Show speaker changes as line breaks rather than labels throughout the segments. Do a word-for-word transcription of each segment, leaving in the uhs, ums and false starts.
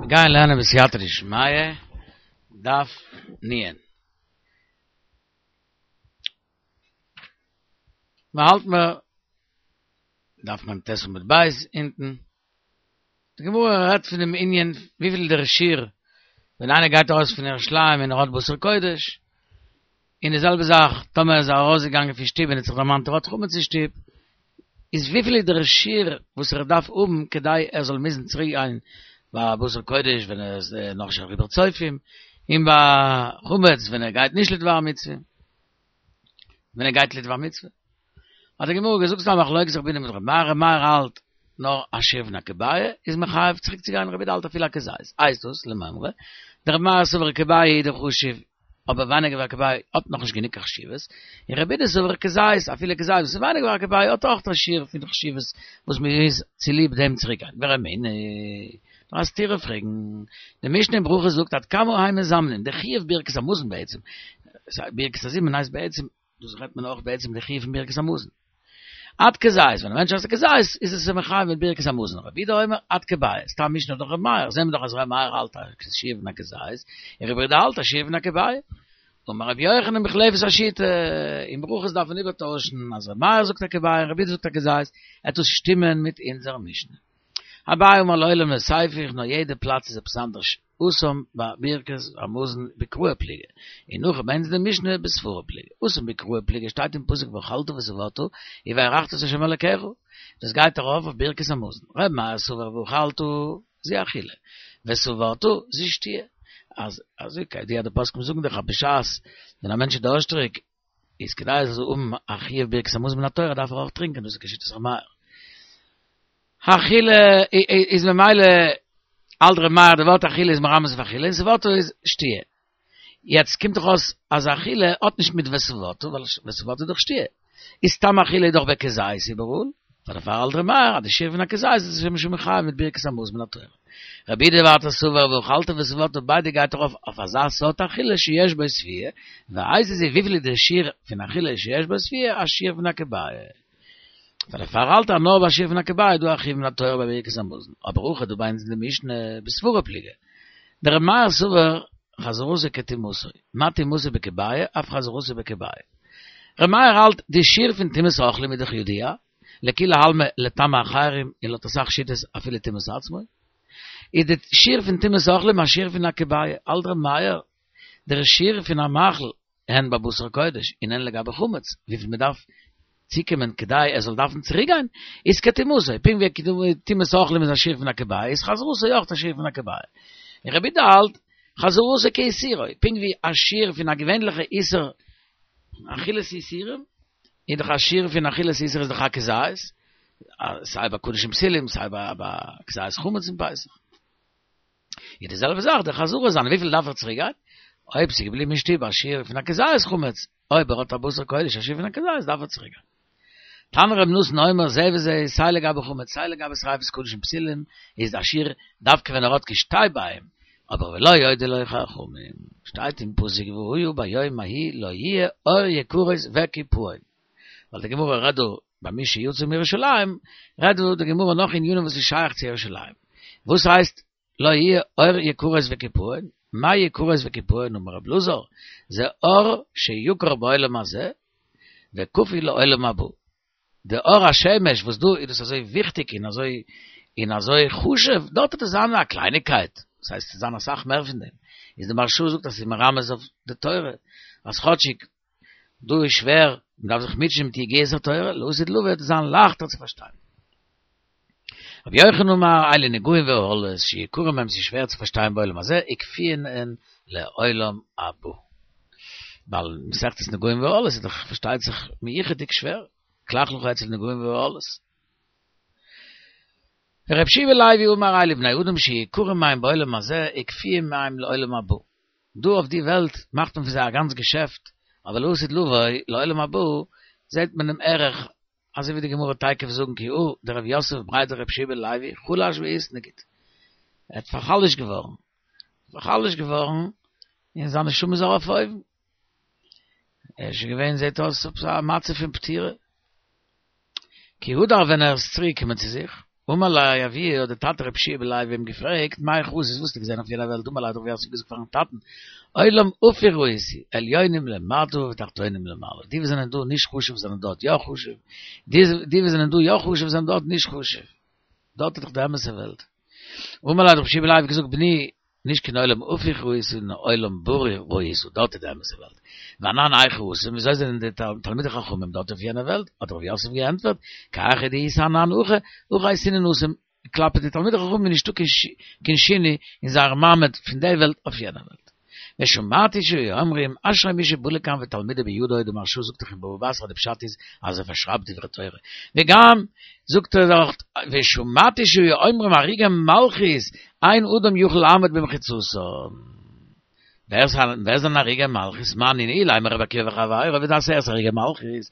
מיר גייען לערנען בסייעתא דשמיא, דף נ'. מען האלט מיר דף מ"ט עמוד ב' אונטן. די גמרא רעדט פון דעם ענין וויפיל דער שיעור ווען איינער גייט ארויס פון ירושלים און ער האט בשר קודש, און די זעלבע זאך טאמער איז ער ארויסגעגאנגען פון שטוב און האט זיך דערמאנט ער האט חמץ אין שטוב, איז וויפיל איז דער שיעור וואס ער דארף האבן כדי ער זאל מוזן צוריק גיין ביי בשר קודש ווען ער איז נאכנישט אריבער צופים, און ביי חמץ ווען ער גייט נישט לדבר מצוה, ווען ער גייט לדבר מצוה. האט די גמרא געזאגט ס'איז א מחלוקת רבי יהודה מיט רבי מאיר, רבי מאיר האלט נאר א שיעור פון א כביעה איז מחייב צוריק צו גיין, רבי יהודה האלט אפילו א כזית, הייסט דאס למימרא דרבי מאיר סבר כביעה הוא דחשיב אבער ווייניגער ווי א כביעה האט נאכנישט גענוג קיין חשיבות, און רבי יהודה סבר כזית אפילו כזית וואס איז ווייניגער ווי א כביעה האט אויך א שיעור פון חשיבות וואס מען מוז צוליב דעם צוריק גיין, ורמינהי נאר א סתירה פרעגן, די משנה אין ברכות זאגט עד כמה הן מזמנין, די חיוב ברכת המזון בעצם, ברכת הזימון הייסט בעצם דאס רעדט מען אויך בעצם די חיוב פון ברכת המזון. עד כזית, ווען א מענטש עסט א כזית, איז עס אים מחייב מיט ברכת המזון. רבי יהודה אומר עד כביעה, סתם משנה דאך רבי מאיר, זעהן מיר דאך אז רבי מאיר האלט א שיעור פון א כזית, און רבי יהודה האלט א שיעור פון א כביעה. אמר רבי יוחנן מוחלפת השיטה, אין ברכות דארף מען איבערטוישן אז רבי מאיר זאגט א כביעה און רבי יהודה זאגט א כזית, עט עס שטימען מיט אונזער משנה. אביי אמר לעולם לא תיפוך, נאר יעדע פלאץ איז עפעס אנדערש. התם בברכת המזון בקראי פליגי, און הכא ביי אונז אין די משנה בסברא פליגי. התם בקראי פליגי שטייט אין פסוק ואכלת ושבעת וברכת את ה' אלקיך, דאס גייט ארויף אויף ברכת המזון. ר' מאיר סבר ואכלת זו אכילה, ושבעת זו שתיה. אז אזוי כידוע די פוסקים זאגן דאך אז בשעת ווען א מענטש איז דארשטריג איז כדי ער זאל האבן א חיוב ברכת המזון מן התורה דארף ער אויך טרינקען, דאס איז כשיטת ר' מאיר. אכילה איז ממילא האלט ר' מאיר די ווארט אכילה איז מרמז אויף אכילה און ושבעת איז שתיה. יעצט קומט דאך אויס אז אכילה האט נישט מיט ושבעת ווייל ושבעת איז דאך שתיה. איז סתם אכילה איז דאך בכזית איבעראל, פאר דערפאר האלט ר' מאיר אז די שיעור פון א כזית איז שוין שוין מחייב מיט ברכת המזון מן התורה. רבי יהודה ווייטער סבר ואכלת ושבעת ביידע גייט ארויף אויף אזא סארט אכילה שיש בו שביעה, ואיזו היא וויפיל איז די שיעור פון אכילה שיש בו שביעה א שיעור פון א כביעה. פאר דערפאר האלט ער נאר ביי א שיעור פון א כביעה איז דא א חיוב מן התורה ביי ברכת המזון, אבער הכא דא ביי אונז אין די משנה בסברא פליגי. דר' מאיר סבר חזרתו כטומאתו, מה טומאתו בכביעה אף חזרתו בכביעה. ר' מאיר האלט די שיעור פון טומאת אוכלים איז דאך ידוע, לכולי עלמא לטמא אחרים און לויט אסאך שיטות אפילו טומאת עצמו, איז די שיעור פון טומאת אוכלים א שיעור פון א כביעה, האלט ר' מאיר דער שיעור פון א מאכל הן בבשר קודש און הן לגבי חמץ, וויפיל מען דארף צוקומען כדי ער זאל דארפן צוריקגיין, איז כטומאתו, פונקט ווי טומאת אוכלים איז א שיעור פון א כביעה, איז חזרתו אויך א שיעור פון א כביעה. און רבי יהודה האלט, חזרתו כאיסורו, פונקט ווי א שיעור פון א געווענליכע איסור אכילת איסורים, איז דאך א שיעור פון אכילת איסור איז דאך א כזית, סיי ביי קדשים פסולים, סיי ביי כזית חמץ אין פסח. איז די זעלבע זאך די חזרה זיינע וויפיל דארף ער צוריק גיין? אויב ס'איז געבליבן אין שטוב א שיעור פון א כזית חמץ, אויב ער האט א בשר קודש א שיעור פון א כזית דארף ער צוריק גיין. תנא רבי נתן אומר זה וזה סיי לגבי חמץ סיי לגבי שריפת קדשים פסולים איז א שיעור דווקא ווען ער האט כשתי ביעים, אבער ולא הודו לו חכמים, שטייט אין פסוק והיה ביום ההוא לא יהיה אור יקרות וקיפאון, ווייל די גמרא רעדט דא ביי מי שיצא מירושלים, רעדט דא די גמרא נאך ענינים וואס איז שייך צו ירושלים. וואס הייסט לא יהיה אור יקרות וקיפאון? מאי יקרות וקיפאון אמר רב אלעזר, זה אור שיקר בעולם הזה וכפוי לעולם הבא. די אור השמש וואס דא איז דאס אזוי וויכטיג און אזוי און אזוי חשוב, דארט וועט עס זיין א קלייניקייט, דאס הייסט עס וועט זיין אסאך מער פון דעם. איז די מהרש"א זאגט אז ס'איז מרמז אויף די תורה, אז כאטשיג דא איז שווער, מען דארף זיך מוטשען מיט יגיעת התורה, לעתיד לבוא וועט עס זיין לייכטער צו פארשטיין. רבי יוחנן אמר, אלו נגעים ואהלות, שיקרים הם ס'איז שווער צו פארשטיין בעולם הזה, וכפויין הן לעולם הבא. ווייל מסכת נגעים ואהלות איז דאך פארשטייט זיך מיוחד'דיג שווער, כלך לך אצל נגעים ואהלות. רבי יהושע בן לוי אמר אלו בני אדם שיקרים הם בעולם הזה, וכפויים הם לעולם הבא. דא אויף די וועלט מאכט מען פון זיי א גאנץ געשעפט, אבער לעתיד לבוא, לעולם הבא, זעט מען דעם ערך, אזוי ווי די גמרא תיכף זאגן כי הא דרב יוסף בריה דרבי יהושע בן לוי חלש ואיתנגיד, ער האט פאר'חלש'ט געווארן, פאר'חלש'ט געווארן, און זיין נשמה איז ארויף אויבן, ער איז שוין געווען זעט אויס עפעס א מצב פון פטירה, כי הדר ווען ער איז צוריק געקומען צו זיך. אמר ליה אבוה, האט דער טאטע רב שיע בן לוי אים געפרעגט, מהיכא ראית, וואס האסטו געזען אויף יענער וועלט, אמר ליה האט רב יוסף געזאגט פארן טאטן, עולם הפוך ראיתי, עליונים למטה ותחתונים למעלה, די וואס זענען דא נישט חשוב זענען דארט יא חשוב, די וואס זענען דא יא חשוב זענען דארט נישט חשוב, דארט איז דאך די אמת'ע וועלט. אמר ליה האט רב שיע בן לוי געזאגט, בני, נישט קיין עולם הפוך ראית נאר עולם ברור ראית, דארט איז די אמת'ע וועלט. ואנן היכא התם, וויאזוי זענען די תלמידי חכמים דארט אויף יענע וועלט? האט רב יוסף געענטפערט, כי היכי דאיתו אנן הכא, הכי אייתינן התם, כלפי די תלמידי חכמים איז נישטא קיין שינוי אין זייער מעמד פון די וועלט אויף יענע וועלט. ושמעתי שהיו אומרים, אשרי מי שבא לכאן ותלמודו בידו, די מהרש"א זאגט דאך אין בבא בתרא די פשט איז אז ער פארשרייבט דברי תורה. וגם זאגט ער דאך ושמעתי שהיו אומרים הרוגי מלכות אין אדם יכול לעמוד במחיצתם. ווער זענען הרוגי מלכות? מאן נינהו אילימא רבי עקיבא וחביריו ווער איז דאס הרוגי מלכות?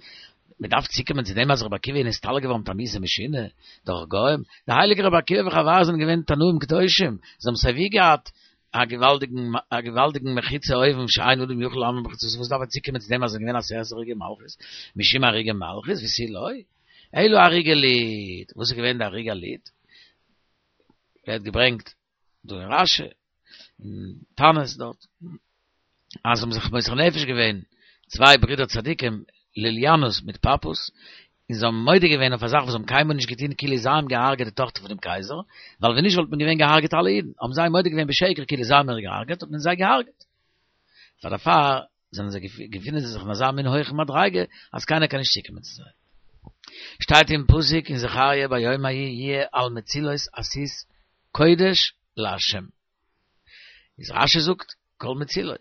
מען דארף צוקומען צו דעם אז רבי עקיבא איז נסתלק געווארן מיט א מיתה משונה דורך גוים? די הייליגע רבי עקיבא וחביריו זענען געווען תנאים קדושים, זיי האבן סייווי געהאט א געוואלדיגן א געוואלדיגן מחיצה אויבן שאין אדם יכול לעמוד במחיצתם, וואס דארף מען צוקומען צו דעם אז עס איז געווען עשרת הרוגי מלכות, משום הרוגי מלכות ותו לא, אלא הרוגי לוד, וואס איז געווען די הרוגי לוד? ווערט געברענגט דא אין רש"י, אין תענית דארט, אז זיי האבן זיך מוסר נפש געווען, צוויי ברידער צדיקים, לוליינוס מיט פפוס, און זיי האבן מודה געווען אויף א זאך וואס זיי האבן קיינמאל נישט געטון כאילו זיי האבן געהארגעט די טאכטער פונעם קייזער, ווייל ווען נישט וואלט מען געווען געהארגעט אלע אידן, האבן זיי מודה געווען בשקר כאילו זיי האבן איר געהארגעט, האט מען זיי געהארגעט. פאר דערפאר זענען זיי געפינען זיי זיך אין אזא מין הויכן מדריגה אז קיינער קען נישט צוקומען צו זיי. שטייט אין פסוק אין זכריה ביום ההוא יהיה על מצילות הסוס קודש לה'. איז רש"י זאגט כל מצילות.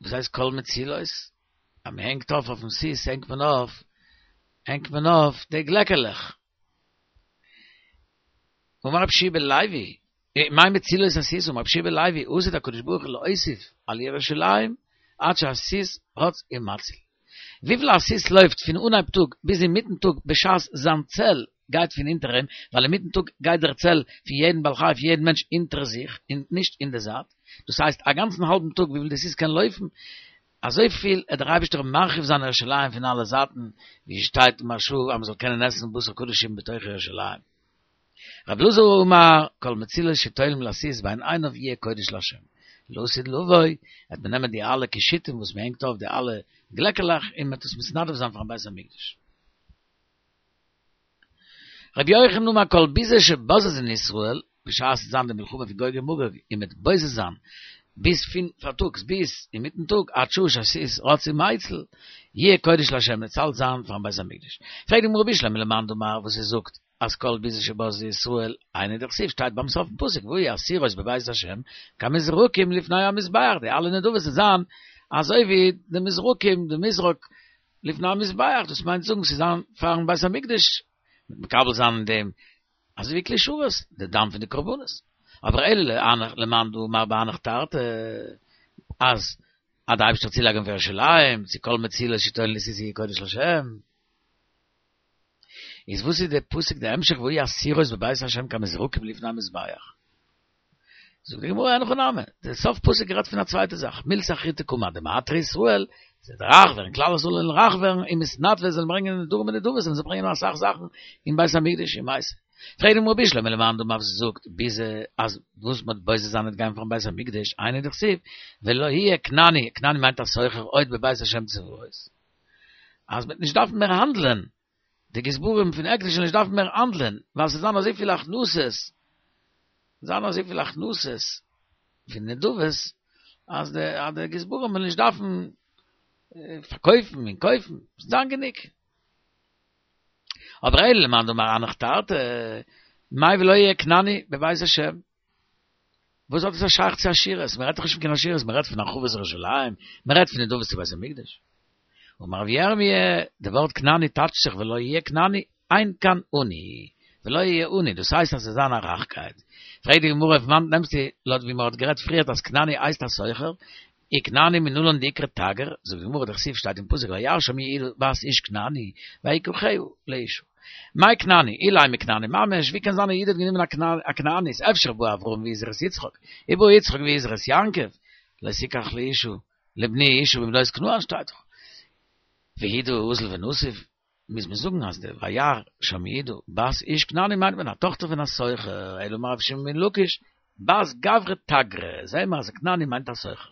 וואס הייסט כל מצילות? אז מען הענגט אויף אויפן סוס הענגט מען אויף הענגט מען אויף די גלעקעלעך. אמר רב שי' בן לוי, מאי מצילות הסוס? אמר רב שי' בן לוי, עתיד הקדוש ברוך הוא להוסיף על ירושלים עד שהסוס רץ ומציל. וויפיל א סוס לויפט פון אנהייב טאג ביז אינמיטן טאג בשעת זיין צל גייט פון אונטער אים, ווייל אינמיטן טאג גייט דער צל פון יעדן בעל חי פון יעדן מענטש אונטער זיך און נישט אין די זייט, דאס הייסט א גאנצן האלבן טאג וויפיל די סוס קען לויפן, אזויפיל עט דער אייבערשטער מרחיב זיין ירושלים פון אלע זייטן, ווי שטייט אין מהרש"א אז מען זאל קענען עסן בשר קדשים בתוך ירושלים. רב אלעזר אמר, כל מצילות שתולים לסוס בין עיניו יהיה קודש לה'. לעתיד לבוא, וועט מען נעמען די אלע קישוטים וואס מען הענגט אויף די אלע גלעקעלעך און מען וועט עס מתנדב זיין פארן בית המקדש. רבי יוחנן אמר כל ביזה שבוזזין ישראל, בשעת ס'וועט זיין די מלחמה פון גוג ומגוג און מ'וועט בוזז זיין ביז פון פארטאגס ביז אינמיטן טאג עד שעה שהסוס רץ ומציל, יהיה קודש לה' וועט אלץ זיין פארן בית המקדש. פרעגט די גמרא בשלמא למאן דאמר וואס ער זאגט אז כל ביזה שבזזו ישראל היינו דכתיב שטייט ביים סוף פסוק והיו הסירות בבית השם כמזרקים לפני המזבח די אלע נדבות וועט זיין אזוי ווי די מזרקים די מזרק לפני המזבח דאס מיינט זאגן ס'זאל זיין פארן בית המקדש מיט מקבל זיין אין דעם אזוי ווי כלי שרת די דם פון די קרבנות אבער אלא למאן דאמר בהנך תרתי אז אז די אייבערשטער צולייגן פאר ירושלים צו כל מצילות שתולין לסוס יהיה קודש לשם איז וואס איז די פסוק די המשך והיו הסירות בבית השם כמזרקים לפני המזבח זאגט די גמרא אין הכי נמי די סוף פסוק רעדט פון א צווייטע זאך מילתא אחריתא קאמר דמעטרי ישראל ס'וועט רייך ווערן כלל ישראל זאלן רייך ווערן ומתנדבי זאלן ברענגען נדרים ונדבות זאלן זיי ברענגען אסאך זאכן אין בית המקדש ומייתי פרעגט די גמרא בשלמא למאן דאמר וואס זאגט ביזה אז וואס מ'וועט בוזז זיין וועט גיין פארן בית המקדש היינו דכתיב ולא יהיה כנעני כנעני מיינט א סוחר עוד בבית השם צבאות אז מ'וועט נישט דארפן מער האנדלען די גזברים פון הקדש זאלן נישט דארפן מער האנדלען, ווייל ס'וועט זיין אזויפיל הכנסות, זיין אזויפיל הכנסות פון נדבות, אז די אז די גזברים וועלן נישט דארפן פארקויפן און קויפן, ס'וועט זיין גענוג. אבער אלא למאן דאמר הנך תרתי, מאי ולא יהיה כנעני בבית השם. וואס האט עס א שייך צו עשירות? מען רעדט דאך נישט פון קיין עשירות, מען רעדט פון הרחבת ירושלים, מען רעדט פון נדבות צו בית המקדש. אמר רבי ירמי', די ווארט כנעני טייטשט זיך ולא יהיה כנעני, אין כאן עני, ולא יהיה עני, דאס הייסט אז עס זאל זיין א רייכקייט. פרעגט די גמרא פון וואנעט נעמסטו, לויט ווי מען האט גערעדט פריערט אז כנעני הייסט א סוחר, וכנעני מנלן דאיקרי תגר, זאגט די גמרא דכתיב שטייט אין פסוק וירא שם יהודה בת איש כנעני, ויקחה לאשה. מאי כנעני, אילימא כנעני ממש, ווי קען זיין אז יהודה האט גענומען א כנענית, אפשר בא אברהם והזהיר את יצחק, ובא יצחק והזהיר את יעקב, לא תקח לאשה, לבני אשה מבנות כנען שטייט דאך. והוא דאזיל ונסיב, מוז מען זאגן אז דער וירא שם יהודה בת איש כנעני מיינט מען א טאכטער פון א סוחר, אלא אמר רבי שמעון בן לקיש, בת גברא תגרא, זעהן מיר אז כנעני מיינט א סוחר.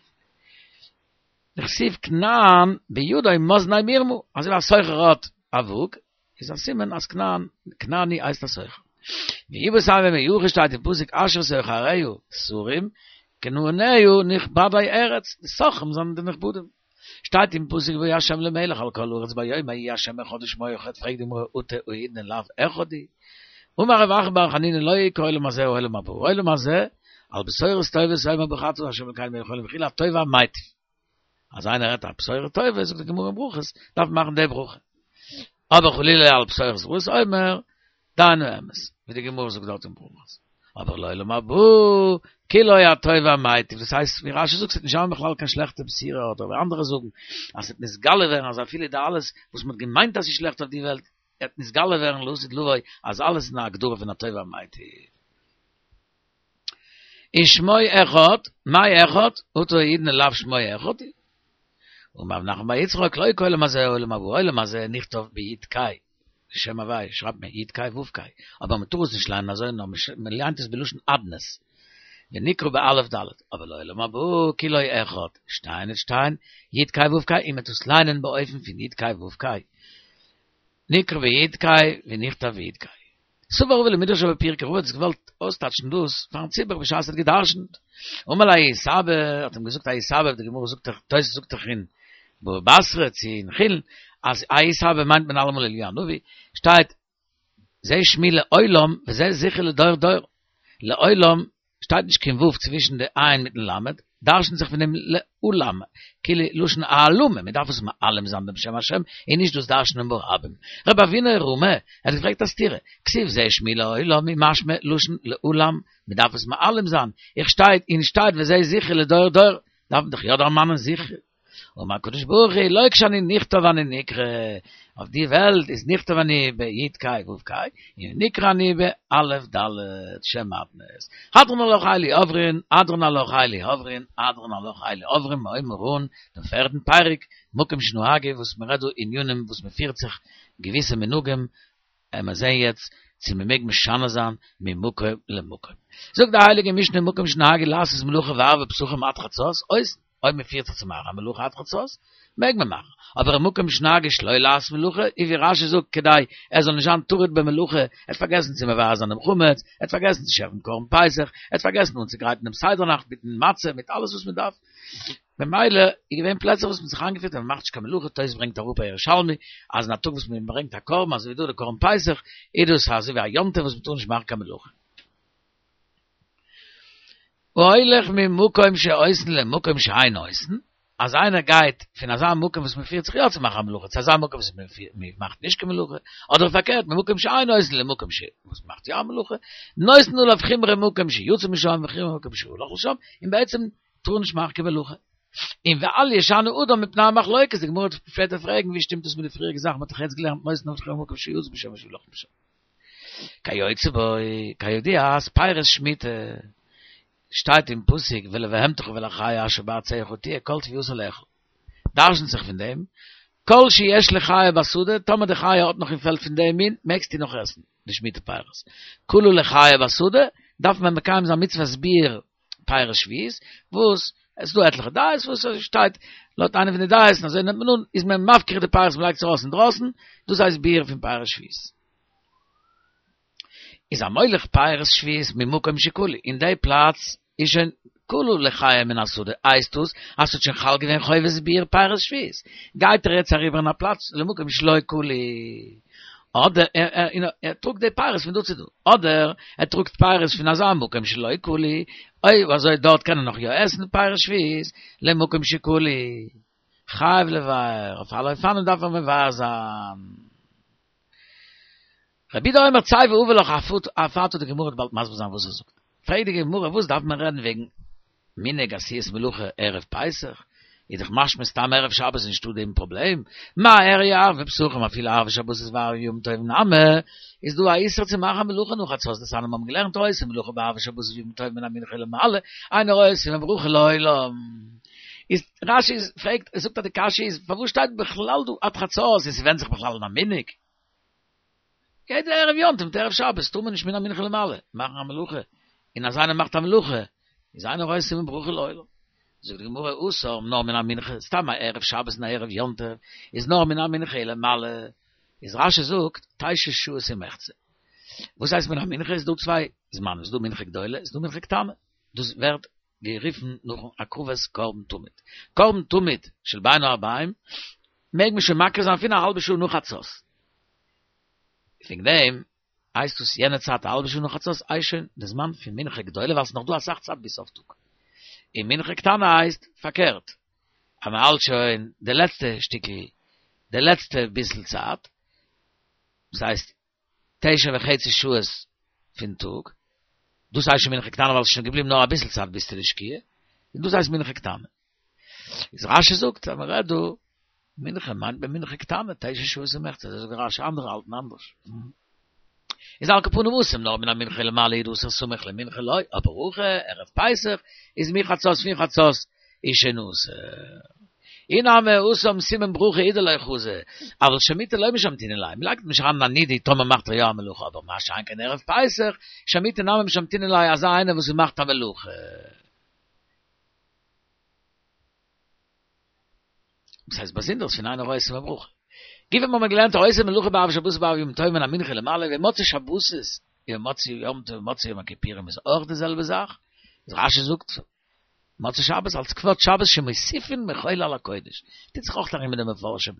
דכתיב כנען בידו מאזני מרמה, אזוי ווי א סוחר האט א וואג, איז א סימן אז כנען, כנעני הייסט א סוחר. ואיבעית אימא מיהא שטייט אין פסוק אשר סוחריה שרים, כנעניה נכבדי ארץ, די סוחרים זענען די נכבדים. שטייט אין פסוק והיה השם למלך על כל הארץ ביום ההוא יהיה השם אחד ושמו אחד, פרעגט די גמרא אטו האידנא לאו אחד הוא? אמר רב אחא בר חנינא לא היא כעולם הזה העולם הבא, העולם הזה על בשורות טובות אומר ברוך אתה ה' אלקינו מלך העולם וכו' הטוב והמיטיב. אז איינער רעדט א בשורה טובה, זאגט די גמרא אין ברכות, דארף מען מאכן די ברכה. אבער חלילה על בשורות רעות אומר, דיין האמת, ווי די גמרא זאגט דארט אין ברכות. אבער לעולם הבא, כולו הטוב והמיטיב, דאס הייסט ווי רשי זאגט ס'וועט נישט זיין בכלל קיין שלעכטע בשורה, אדער ווי אנדערע זאגן, אז ס'וועט נתגלה ווערן אז אפילו די אלעס וואס מ'האט געמיינט אז ס'איז שלעכט אויף די וועלט, וועט נתגלה ווערן לעתיד לבוא אז אלעס איז אין א הגדרה פון הטוב והמיטיב. ושמו אחד, מאי אחד, אטו האידנא לאו שמו אחד הוא. אמר רב נחמן בר יצחק, לא כעולם הזה העולם הבא, עולם הזה נכתב ביו"ד קיי, שם הווי' שרייבט מען יו"ד קיי ו' קיי, אבער מען טאר עס נישט ליינען אזוי נאר מען ליינט עס בלשון אדנות, ונקרא באלף ד', אבער לעולם הבא כולו אחד, שתיין און שתיין, יו"ד קיי ו' קיי, און מען טאר עס ליינען באופן פון יו"ד קיי ו' קיי, נקרא ביו"ד קיי ונכתב ביו"ד קיי. סבר רבא למדרשה בפירקא, רבא האט עס געוואלט אויסטייטשן דאס פארן ציבור בשעת ער האט גע'דרש'נט. אמר ליה ההוא סבא, האט אים געזאגט ההוא סבא, די גמרא זאגט דאך, תוס' זאגט דאך אין בבא בתרא צו אין חולין, אז ההוא סבא מיינט מען אלעמאל אליהו הנביא, שטייט זה שמי לעולם וזה זכרי לדור דור, לעולם שטייט נישט קיין ו' צווישן די עין מיטן למד, דרש'נט זיך פון דעם לעלם, כאילו לשון העלמה, מען דארף עס מעלים זיין דעם שם השם, און נישט דאס דרש'נען ברבים. רב אבינא רמי, ער האט געפרעגט א סתירה, כתיב זה שמי לעולם אי משמע לשון לעלם, מען דארף עס מעלים זיין, איך שטייט און שטייט וזה זכרי לדור דור, דארף מען דאך יא דערמאנען זכרי. אמר הקדוש ברוך הוא לא כשאני נכתב אני נקרא, אויף די וועלט איז נכתב אני בי' ק' ו' ק', און נקרא אני באלף ד', שם אדנות. הדרן עלך אלו עוברין, הדרן עלך אלו עוברין, הדרן עלך אלו עוברין, מיר הייבן אן דעם פערדן פרק, מקום שנהגו וואס מען רעדט דא ענינים וואס מען פירט זיך געוויסע מנהגים, עמער זעהן יעצט צו מען מעג משנה זיין ממקום למקום. זאגט די הייליגע משנה מקום שנהגו לעשות מלאכה בערבי פסחים עד חצות, עושין, אויב מען פירט זיך צו מאכן א מלאכה עד חצות, מעג מען מאכן, אבער מקום שנהגו שלא לעשות מלאכה, און ווי רש"י זאגט כדי ער זאל נישט זיין טרוד במלאכה, ער האט פארגעסן צו מבער זיין דעם חמץ, ער האט פארגעסן צו שעכטן קרבן פסח, ער האט פארגעסן אנצוגרייטן דעם סדר נאכט מיטן מצה, מיט אלעס וואס מען דארף, ממילא איז געווען פלעצער וואס מען האט זיך איינגעפירט אז מען מאכט נישט קיין מלאכה, תוס' ברענגט אראפ א ירושלמי אז אין א טאג וואס מען ברענגט א קרבן אזוי ווי דא די קרבן פסח איז דאס אזוי ווי א יום טוב וואס מען טאר נישט מאכן קיין מלאכה. ההולך ממקום שעושין למקום שאין עושין, אז איינער גייט פון אזא מקום וואס מען פירט זיך יא צו מאכן א מלאכה צו אזא מקום וואס מען מאכט נישט קיין מלאכה, אדער פארקערט ממקום שאין עושין למקום ש וואס מען מאכט יא א מלאכה, נותנין עליו חומרא מקום שיצא משם וחומרא מקום שהלך לשם, און בעצם טאר נישט מאכן קיין מלאכה. און ואל ישנה אדם מפני המחלוקת, די גמרא וועט שפעטער פרעגן ווי שטימט דאס מיט די פריעריגע זאך, מען האט דאך יעצט געלערנט נותנין עליו חומרא מקום שיצא משם ושהלך משם. כיוצא בו, כידוע אז פירות שמיטה שטייט אין פסוק ולבהמתך ולחיה אשר בארצך תהיה כל תבואתה לאכול. דרשנ'ט זיך פון דעם, כל שיש לחיה בשדה, טאמער די חיה האט נאך אין פעלד פון דעם מין, מעגסטו נאך עסן די שמיטה פירות. כלה לחיה בשדה, דארף מען מקיים זיין מצוות ביעור פירות שביעית, וואס עס איז דא עטליכע דעות וואס עס שטייט לויט איינע פון די דעות, און אזוי נעמט מען אן, איז מען מפקיר די פירות מען לייגט עס ארויס אינדרויסן, דאס הייסט ביעור פון פירות שביעית. איז המוליך פירות שביעית ממקום שכלו, אין די פלאץ איז שוין כלו לחיה מן השדה, הייסט דאס אז ס'האט שוין חל געווען חובת ביעור פירות שביעית, גייט ער יעצט אריבער אין א פלאץ למקום שלא כלו, אדער ער טראגט די פירות פון דא צו דא, אדער ער טראגט פירות פון אזא מקום שלא כלו, אויב אזוי דארט קען ער נאך יא עסן פירות שביעית, למקום שכלו, חייב לבער, אויף אלע אופנים דארף ער מבער זיין. רבי יהודה אומר צא והבא לך אף אתה, די גמרא וועט באלד מסביר זיין וואס ער זאגט. פרעגט די גמרא וואס דארף מען רעדן וועגן מנהג עשיית מלאכה ערב פסח, איז דאך משמע סתם ערב שבת איז נישטא דעם פראבלעם, מה איריא ערבי פסחים אפילו ערבי שבתות וערבי ימים טובים נמי, איז דא א איסור צו מאכן מלאכה נאך חצות דתניא מיר האבן געלערנט העושה מלאכה בערבי שבתות וימים טובים מן המנחה ולמעלה, אינו עושה ברכה לעולם. איז רש"י פרעגט זאגט אז די קשיא איז פארוואס שטייט בכלל דא עד חצות און ס'ווענדט זיך בכלל אין א מנהג? יעדער ערב יום טוב, ערב שבת, טאר מען נישט מן המנחה למעלה, מאכן א מלוכה. און אז איינער מאכט א מלוכה, איז אינו רואה סימן ברכה לעולם. זאגט די גמרא, התם נאר מן המנחה, סתם א ערב שבת און א ערב יום טוב, איז נאר מן המנחה למעלה. איז רשי זאגט, תשע שעות ומחצה. וואס הייסט מן המנחה? איז דא צוויי זמנים, איז דא מנחה גדולה, איז דא מנחה קטנה. דאס ווערט גערופן נאכן הקרבת קרבן תמיד. קרבן תמיד של בין הערביים מעג מען שוין מקריב זיין פון א האלבע שעה נאך חצות. וועגן דעם הייסט דאס יענע צייט א האלבע שעה נאך חצות הייסט שוין די זמן פון מנחה גדולה ווייל ס'איז נאך דא אסאך צייט ביז סוף טאג. און מנחה קטנה הייסט פארקערט, אז מען האלט שוין די לעצטע שטיקל, די לעצטע ביסל צייט, דאס הייסט תשע וחצי שעות פון טאג, דאס הייסט שוין מנחה קטנה ווייל ס'איז שוין געבליבן נאר אביסל צייט ביז צו די שקיעה, און דאס הייסט מנחה קטנה. איז רשי זאגט אז מען רעדט דא מנחה מיינט מען מנחה קטנה, תשע שעות ומחצה, אזוי זאגט רשי, אנדערע האלטן אנדערש. איז על כל פנים התם נאר מן המנחה למעלה הוא דאסור סמוך למנחה לא, אבער הכא ערב פסח איז מחצות פון חצות איז שוין אסור. אי נמי התם סימן ברכה הוא דלא חזי, אבל שמותי לא משמתינן ליה, מ'לייגט נישט אריין א נידוי טאמער מאכט ער יא א מלאכה, אבער מה שאין כן ערב פסח, שמותי נמי משמתינן ליה אזא איינער וואס מאכט א מלאכה. דאס הייסט באזונדערס פון אינו רואה סימן ברכה. גופא האבן מיר געלערנט העושה מלאכה בערבי שבת ובערבי יום טוב מן המנחה למעלה ובמוצאי שבתות ובמוצאי יום טוב ומוצאי יום הכיפורים איז אויך די זעלבע זאך, איז רשי זאגט מוצאי שבת אלס כבוד שבת שמוסיפין מחול על הקודש, טוט זיך אויך ארום מיט די מפרשים,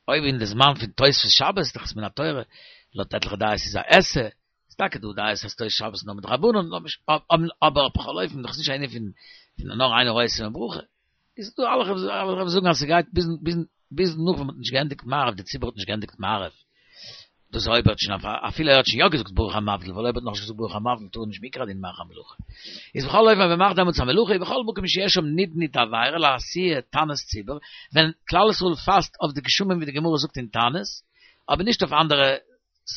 אויב אין די זמן פון תוספות שבת, דאך איז מן התורה, לויט עטליכע דעות איז א עשה, איז טאקע דא דעות אז תוס' שבת נאר מדרבנן, אבער בכל אופן דאך איז נישט א ענין פון נאר אינו רואה סימן ברכה, איז דא אלע וואס זאגן אז ס'גייט ביז ביז ביז נאך ווען מ'האט נישט געענדיגט מעריב, די ציבור האט נישט געענדיגט מעריב, דאס אויב ער האט שוין אפילו ער האט שוין יא געזאגט ברוך המבדיל, ווייל אויב ער האט נאכנישט געזאגט ברוך המבדיל טאר ער נישט מעיקר הדין מאכן א מלאכה. איז בכל אופן ווען מ'מאכט דעמאלטס א מלאכה, ובכל מקום שיש שם נדנוד דעבירה לאתויי תענית ציבור, ווען כלל ישראל פאסט אויף די גשמים ווי די גמרא זאגט אין תענית, אבער נישט אויף אנדערע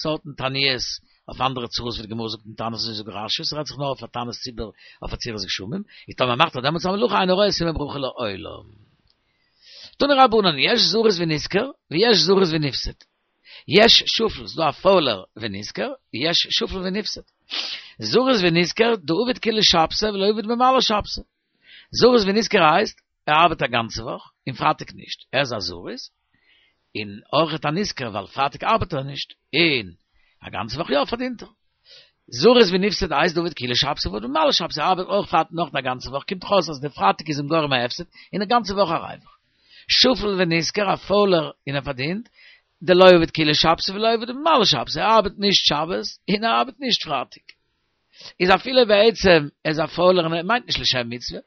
סארטן תעניות, אויף אנדערע צרות ווי די גמרא זאגט אין תענית אזוי זאגט רשי, ס'רעדט זיך נאר אויף א תענית ציבור אויף עצירת גשמים, איז טאמער מאכט ער דעמאלטס א מלאכה אינו רואה סימן ברכה לעולם. תנו רבנן, יש זריז ונשכר, ויש זריז ונפסד. יש שפל, ס'דא א פוילער ונשכר, יש שפל ונפסד. זריז ונשכר, דעביד כולא שבתא ולא עביד במעלי שבתא. זריז ונשכר הייסט, ער ארבעט א גאנצע וואך, און פרייטאג נישט, ער איז א זריז, און אויכעט א נשכר ווייל פרייטאג ארבעט ער נישט, און א גאנצע וואך יא פארדינט ער. זריז ונפסד הייסט דעביד כולא שבתא ועביד במעלי שבתא, ער ארבעט אויך פרייטאג נאך א גאנצע וואך, קומט דאך אויס אז די פרייטאג איז אים גורם א הפסד, און א גאנצע וואך א ריווח. שפל ונשכר א פוילער און ער פארדינט, דלא עביד כולא שבתא ולא עביד במעלי שבתא, ער ארבעט נישט שבת און ער ארבעט נישט פרייטאג. איז אפילו בעצם ער איז א פוילער און ער מיינט נישט לשם מצוה,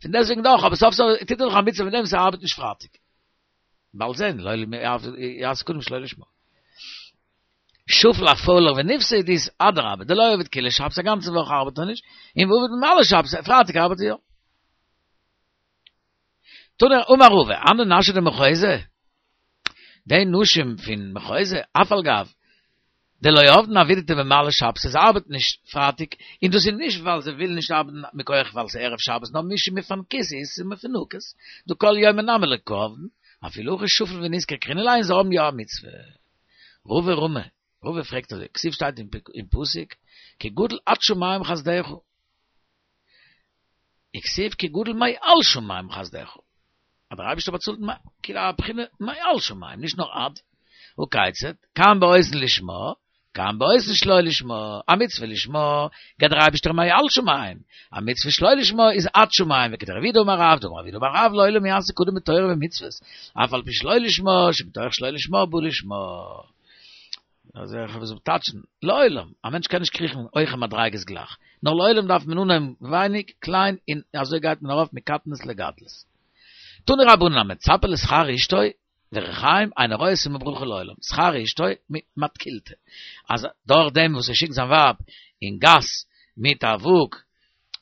פון דעסטוועגן דאך, אבער סוף סוף טוט ער דאך א מצוה מיט דעם וואס ער ארבעט נישט פרייטאג. באלד זען, לעולם יעסוק אדם שלא לשמה. שפל א פוילער ונפסד איז אדרבה, דלא עביד כולא שבתא א גאנצע וואך ארבעט ער נישט, און ועביד במעלי שבתא, פרייטאג ארבעט ער יא. תנא אמר רבא, הני נשי דמחוזא, די נשים פון מחוזא, אף על גב דלא עבדן עבידתא במעלי שבתא, זיי ארבעטן נישט פרייטאג, און דאס איז נישט ווייל זיי ווילן נישט ארבעטן מכח ווייל ס'איז ערב שבת, נאר משום מפנקותא איתא מפונקות, דכל יומא נמי לא קא עבדן, אפילו הכי שפל ונשכר קרינן להו און זיי האבן יא א מצוה. רבא רמי, רבא פרעגט אזוי, כתיב שטייט אין פסוק, כי גדול עד שמים חסדך. וכתיב כי גדול מעל שמים חסדך. אז דער אייבערשטער באצאלט כאילו א בחינה מעל שמים, נישט נאר עד. הא כיצד, כאן בעושין לשמה, כאן בעושין שלא לשמה, א מצוה לשמה, געבט דער אייבערשטער מעל שמים, א מצוה שלא לשמה איז עד שמים, וכדרב יהודה אמר רב, דאמר רב יהודה אמר רב לעולם יעסוק אדם בתורה ומצוות, אף על פי שלא לשמה, שמתוך שלא לשמה בא לשמה. אז איך וועל טייטשן, לעולם, א מענטש קען נישט קריכן הויכע מדריגות גלייך, נאר לעולם דארף מען אנהויבן ווייניג, קליין, און אזוי גייט מען ארויף מקטנות לגדלות. תנו רבנן המצפה לשכר אשתו וריחיים אינו רואה סימן ברכה לעולם, שכר אשתו מתקילתא, אז דורך דעם וואס ער שיקט זיין ווייב אין גאס מיט א וואג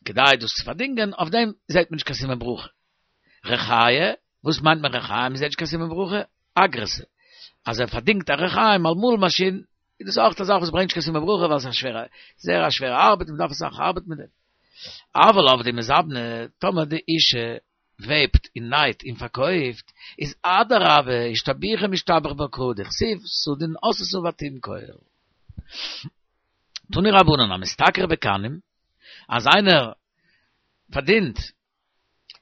כדי דאס צו פארדינגען, אויף דעם זעט מען נישט קיין סימן ברכה. ריחיא, וואס מיינט מען ריחיים מ'זעט נישט קיין סימן ברכה? אגרתא, אז ער פארדינגט א ריחיים א מאל מאשין, איז דאס אויך א זאך וואס ברענגט נישט קיין סימן ברכה ווייל עס איז א שווערע, זייער א שווערע ארבעט און מ'דארף אסאך ארבעטן מיט דעם. אבל עבדי מזבני, טאמער די אישה וועבט און נייט און פארקויפט, איז אדרבה, אשתבוחי משתבח בה קרא דכתיב סדין עשתה ותמכור. תנו רבנן, המשתכר בקנים, אז איינער פארדינט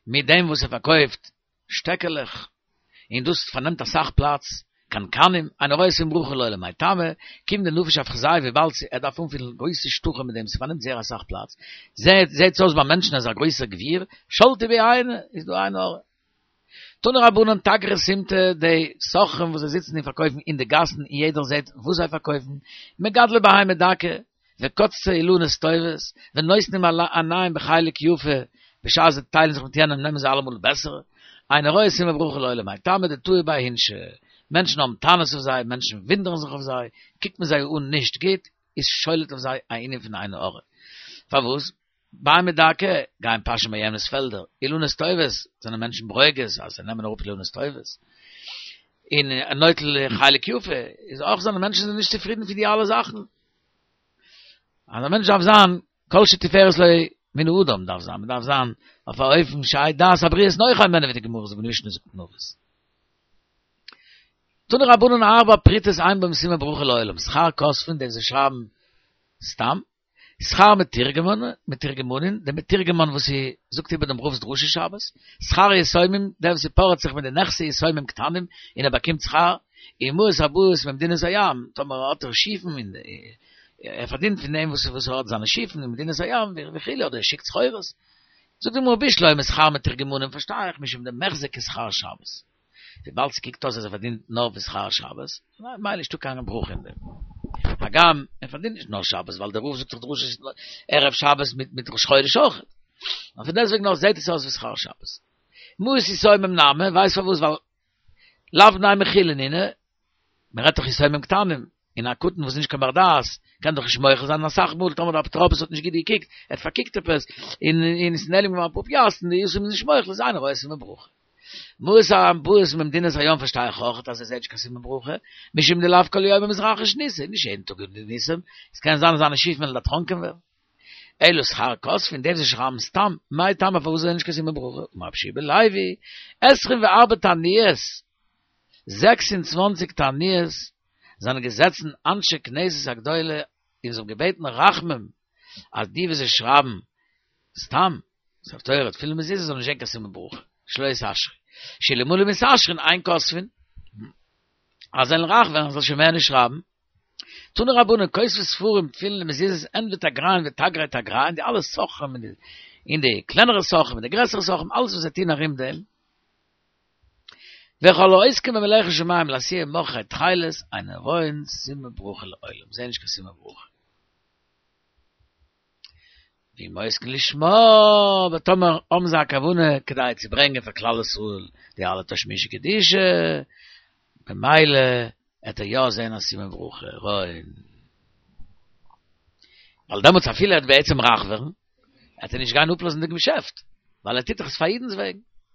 מיט דעם וואס ער פארקויפט שטעקעלעך, און דאס פארנעמט אסאך פלאץ, קנקנים, אינו רואה סימן ברכה לעולם, מאי טעמא, כיון דנפיש אפחזייהו וויבאלד ער דארף אנפילן גרויסע שטחים מיט דעם, ס'פארנעמט זייער אסאך פלאץ, זעט זעט אויס ביי מענטשן אז ער איז א גרויסער גביר, שלטו ביה עינא, איז דא עין הרע. תנו רבנן תגרי סימטא, די סוחרים וואס זיי זיצן און פארקויפן אין די גאסן און יעדער זעט וואס זיי פארקויפן, מגדלי בהמה דקה, וקוצצי אילנות טובות, ונותנים עיניהם בחלק יפה, בשעת זיי טיילן זיך מיט יענעם נעמען זיי אלעמאל בעסערע, אינו רואה סימן ברכה לעולם, מאי טעמא דתהו ביה אינשי, מענטשן האבן טענות אויף זיי, מענטשן ווינדערן זיך אויף זיי, קוקט מען זיי אן נישט גוט, איז שולט אויף זיי א ענין פון עין הרע. פארוואס? בהמה דקה, גייען פאשען ביי יענעמס פעלדער, אילנות טובות, זענען מענטשן ברוגז אז זיי נעמען אראפ אילנות טובות. און נוטל חלק יפה, איז אויך זענען מענטשן זענען נישט צופרידן פון די אלע זאכן. אז א מענטש דארף זיין כל שתפארת לו מן האדם דארף זיין, מען דארף זיין אויף א אופן שיהא דעת הבריות נוחה הימנו ווי די גמרא זאגט די משנה זאגט אין אבות. תנו רבנן ארבע פרוטות אין בהם סימן ברכה לעולם, שכר כותבין די וואס שרייבן סתם, שכר מתורגמנין, מתורגמנין, דער מתורגמן וואס זאגט איבער דעם רב'ס דרשה שבת, שכר יתומים, דער וואס פארעט זיך מיט די נכסי יתומים קטנים און ער באקומט שכר, ומעות הבאות ממדינת הים, טאמער האט ער שיפן און ער פארדינט פון דעם וואס וואס ער האט זיינע שיפן אין מדינת הים וכו' אדער ער שיקט סחורות. זאגט די גמרא בשלמא שכר מתורגמנים פארשטיי איך משום דמיחזי כשכר שבת. וויבאלד ס'קוקט אויס אז ער פארדינט נאר פון שכר שבת, ממילא נישטא קיין ברכה אין דעם. הגם ער פארדינט נישט נאר שבת ווייל דער רב זאגט דאך דרשות ערב שבת מיט מיט ראש חודש אויך. אבער פון דעסטוועגן נאך זעט עס אויס ווי שכר שבת. מעות יתומים נמי, ווייסט פארוואס ווייל לאו בני מכילה נינהו, מען רעדט דאך יתומים קטנים, און א קטן וואס איז נישט קיין בר דעת, קען דאך נישט מוחל זיין, אסאך מאל טאמער דער אפוטרופוס האט נישט גוט געקוקט, ער האט פארקוקט עפעס, און און עס איז נעלם געווארן אפאר פיאסטן, די יתום איז נישט מוחל, איז אינו רואה סימן ברכה. מעות הבאות ממדינת הים פארשטיי איך אויך אז ער זעט נישט קיין סימן ברכה, משום דלאו כל יומא מתרחיש ניסא, נישט יעדן טאג איז ניסים, עס קען זיין אז זיינע שיפן וועלן דערטראנקען ווערן. אלא שכר כותבין, די וואס שרייבן סתם, מאי טעמא פארוואס זעען נישט קיין סימן ברכה, אמר רבי יהושע בן לוי, עשרים וארבע תעניות, זעקס און צוואַנציק תעניות, זענען געזעצן אנשי כנסת הגדולה און זיי האבן געבעטן רחמים אז די וואס זיי שרייבן סתם ספר תורה תפילין מזוזה זאלן נישט זען קיין סימן ברכה, שלא יתעשרו, שאלמלא מתעשרין אין כותבין, אז זיי וועלן רייך ווערן זאל שוין מער נישט שרייבן. תנו רבנן כותבי ספרים תפילין ומזוזות הן ותגריהן ותגרי תגריהן די אלע סוחרים און די קלענערע סוחרים און די גרעסערע סוחרים אלעס וואס זיי טוהן ארום דעם וכל העוסקים במלאכת שמים לאתויי מחרי תכלת אין רואין סימן ברכה לעולם זעהן נישט קיין סימן ברכה ואם עוסקין לשמה אבער טאמער האבן זיי א כוונה כדי צו ברענגען פאר כלל ישראל די אלע תשמישי קדושה במילא עט ער יא זעהן א סימן ברכה רואין ווייל דעמאלטס אפילו ער וועט בעצם רייך ווערן עט ער נישט גיין אפלאזן די געשעפט ווייל ער טוט דאך עס פאר אידנ'ס וועגן.